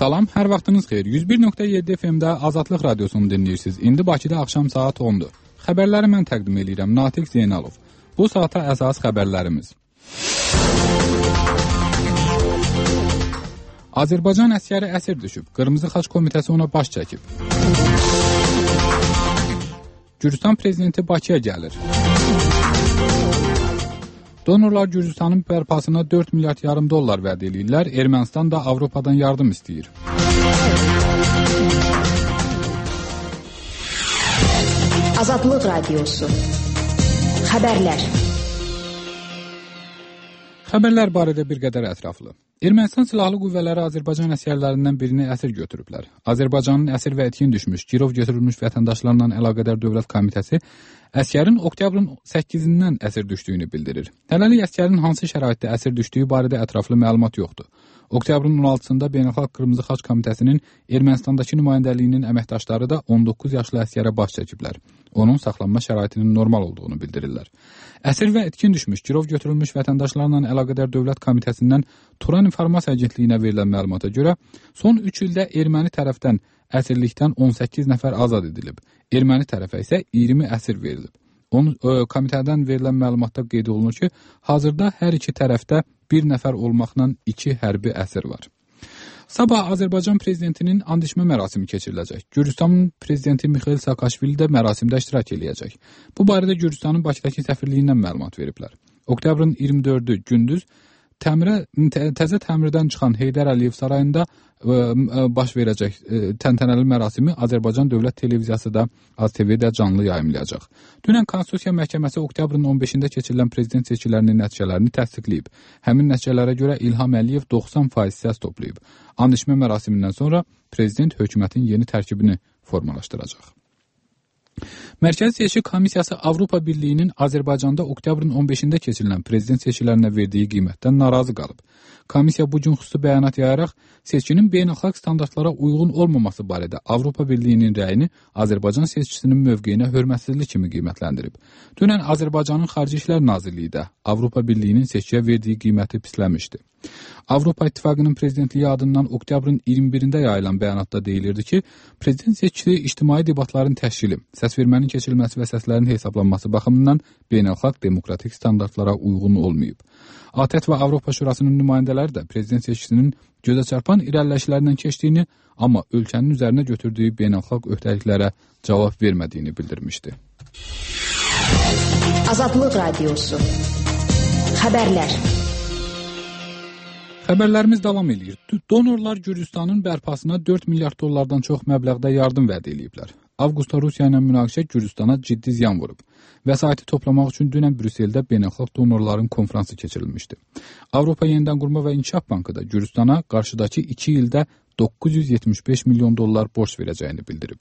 Salam, hər vaxtınız xeyir. 101.7 FM-də Azadlıq Radiosunu dinləyirsiniz. İndi Bakıda axşam saat 10-dur. Xəbərləri mən təqdim edirəm. Natiq Zeynalov. Bu saata əsas xəbərlərimiz. Azərbaycan əsgəri əsir düşüb. Qırmızı Xaç Komitəsi ona baş çəkib. Gürcüstan prezidenti Bakıya gəlir. Donorlar Gürcüstanın bərpasına 4 milyard yarım dollar vəd edirlər. Ermənistan da Avropadan yardım istəyir. Azadlıq Radiosu. Xəbərlər. Xəbərlər barədə bir qədər ətraflı. Ermənistan Silahlı Qüvvələri Azərbaycan əsgərlərindən birini əsir götürüblər. Azərbaycanın əsir və etkin düşmüş, girov götürülmüş vətəndaşlarla əlaqədar Dövlət Komitəsi əsgərin oktyabrın 8-dən əsir düşdüyünü bildirir. Hələlik əsgərin hansı şəraitdə əsir düşdüyü barədə ətraflı məlumat yoxdur. Oktyabrın 16-sında Beynəlxalq Qırmızı Xaç Komitəsinin Ermənistandakı nümayəndəliyinin əməkdaşları da 19 yaşlı əsgərə baş çəkiblər. Onun saxlanma şəraitinin normal olduğunu bildirirlər. Əsir və etkin düşmüş, girov götürülmüş vətəndaşlarla əlaqədar Dövlət Komitəsindən Turan İnformasiya Agentliyinə verilən məlumata görə son 3 ildə erməni tərəfdən əsirlikdən 18 nəfər azad edilib. Erməni tərəfə isə 20 əsir verilib. Komitədən verilən məlumatda qeyd olunur ki, hazırda hər iki tərəfdə bir nəfər olmaqla 2 hərbi əsir var. Sabah Azərbaycan prezidentinin and içmə mərasimi keçiriləcək. Gürcüstanın prezidenti Mixail Saakashvili də mərasimdə iştirak edəcək. Bu barədə Gürcüstanın Bakıdakı səfirliyindən məlumat veriblər. Oktyabrın 24-ü gündüz təzə təmirdən çıxan Heydər Əliyev sarayında baş verəcək təntənəli mərasimi Azərbaycan Dövlət Televiziyası da ATV-də canlı yayımlayacaq. Dünən Konstitusiya Məhkəməsi oktyabrın 15-də keçirilən prezident seçkilərinin nəticələrini təsdiqləyib. Həmin nəticələrə görə İlham Əliyev 90% səs toplayıb. And içmə mərasimindən sonra prezident hökumətin yeni tərkibini formalaşdıracaq. Mərkəzi Seçki Komissiyası Avropa Birliyinin Azərbaycanda oktyabrın 15-də keçirilən prezident seçkilərinə verdiyi qiymətdən narazı qalıb. Komissiya bu gün xüsusi bəyanat yayaraq seçkinin beynəlxalq standartlara uyğun olmaması barədə Avropa Birliyinin rəyini Azərbaycan seçkisinin mövqeyinə hörmətsizlik kimi qiymətləndirib. Dünən Azərbaycanın Xarici İşlər Nazirliyi də Avropa Birliyinin seçkiyə verdiyi qiyməti pisləmişdi. Avropa İttifaqının prezidentliyi adından oktyabrın 21-də yayılan bəyanatda deyilirdi ki, prezident seçkisi ictimai debatların təşkili, səsvermənin keçirilməsi və səslərin hesablanması baxımından beynəlxalq demokratik standartlara uyğun olmayıb. ATƏT və Avropa Şurasının nümayəndələri də prezident seçkisinin gözəçarpan irəliləyişlərindən keçdiyini, amma ölkənin üzərinə götürdüyü beynəlxalq öhdəliklərə cavab vermədiyini bildirmişdi. Azadlıq Radiosu. Xəbərlər. Xəbərlərimiz davam edir. Donorlar Gürcüstanın bərpasına 4 milyard dollardan çox məbləğdə yardım vəd ediblər. Avqustda Rusiya ilə münaqişə Gürcüstana ciddi ziyan vurub. Vəsaiti toplamaq üçün dünən Brüsseldə beynəlxalq donorların konfransı keçirilmişdi. Avropa Yenidən Qurma və İnkişaf Bankı da Gürcüstana qarşıdakı 2 ildə 975 milyon dollar borc verəcəyini bildirib.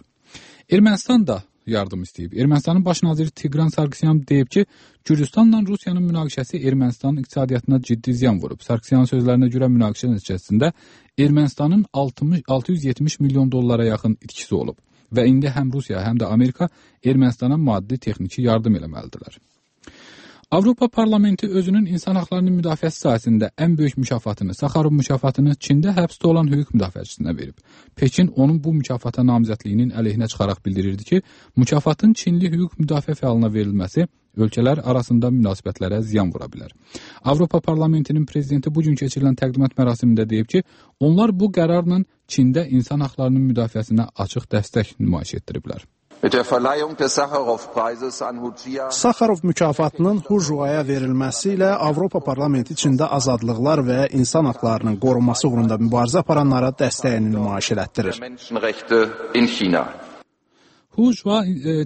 Ermənistan da yardım istəyib. Ermənistanın baş naziri Tigran Sarkisyan deyib ki, Gürcüstanla Rusiyanın münaqişəsi Ermənistanın iqtisadiyyatına ciddi ziyan vurub. Sarkisyanın sözlərinə görə münaqişə nəticəsində Ermənistanın 670 milyon dollara yaxın itkisi olub və indi həm Rusiya, həm də Amerika Ermənistana maddi texniki yardım eləməlidirlər. Avropa Parlamenti özünün insan haqlarının müdafiəsi sahəsində ən böyük mükafatını, Sakharov mükafatını Çində həbsdə olan hüquq müdafiəçisinə verib. Pekin onun bu mükafata namizədliyinin əleyhinə çıxaraq bildirirdi ki, mükafatın Çinli hüquq müdafiə fəalına verilməsi ölkələr arasında münasibətlərə ziyan vura bilər. Avropa Parlamentinin prezidenti bu gün keçirilən təqdimat mərasimində deyib ki, onlar bu qərarla Çində insan haqlarının müdafiəsinə açıq dəstək nümayiş etdiriblər. Sakharov mükafatının Hu Juaya verilməsi ilə Avropa Parlamenti içində azadlıqlar və insan haqlarının qorunması uğrunda mübarizə aparanlara dəstəyini nümayiş elətdirir. Hu Jua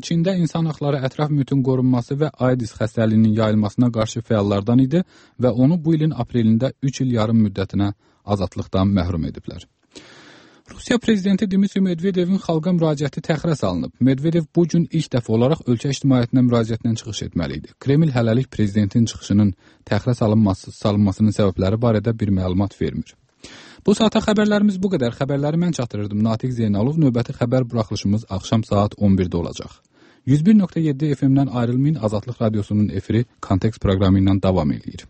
Çində insan haqları ətraf mühitin qorunması və AIDS xəstəliyinin yayılmasına qarşı fəallardan idi və onu bu ilin aprelində 3 il yarım müddətinə azadlıqdan məhrum ediblər. Rusiya prezidenti Dmitri Medvedevin xalqa müraciəti təxirə salınıb. Medvedev bu gün ilk dəfə olaraq ölkə ictimaiyyətinə müraciətlə çıxış etməli idi. Kreml hələlik prezidentin çıxışının təxirə salınmasının səbəbləri barədə bir məlumat vermir. Bu saata xəbərlərimiz bu qədər. Xəbərləri mən çatdırırdım. Natiq Zeynalov. Növbəti xəbər buraxılışımız axşam saat 11-də olacaq. 101.7 FM-dən ayrılmayın. Azadlıq Radiosunun efiri Kontekst proqramı ilə davam edir.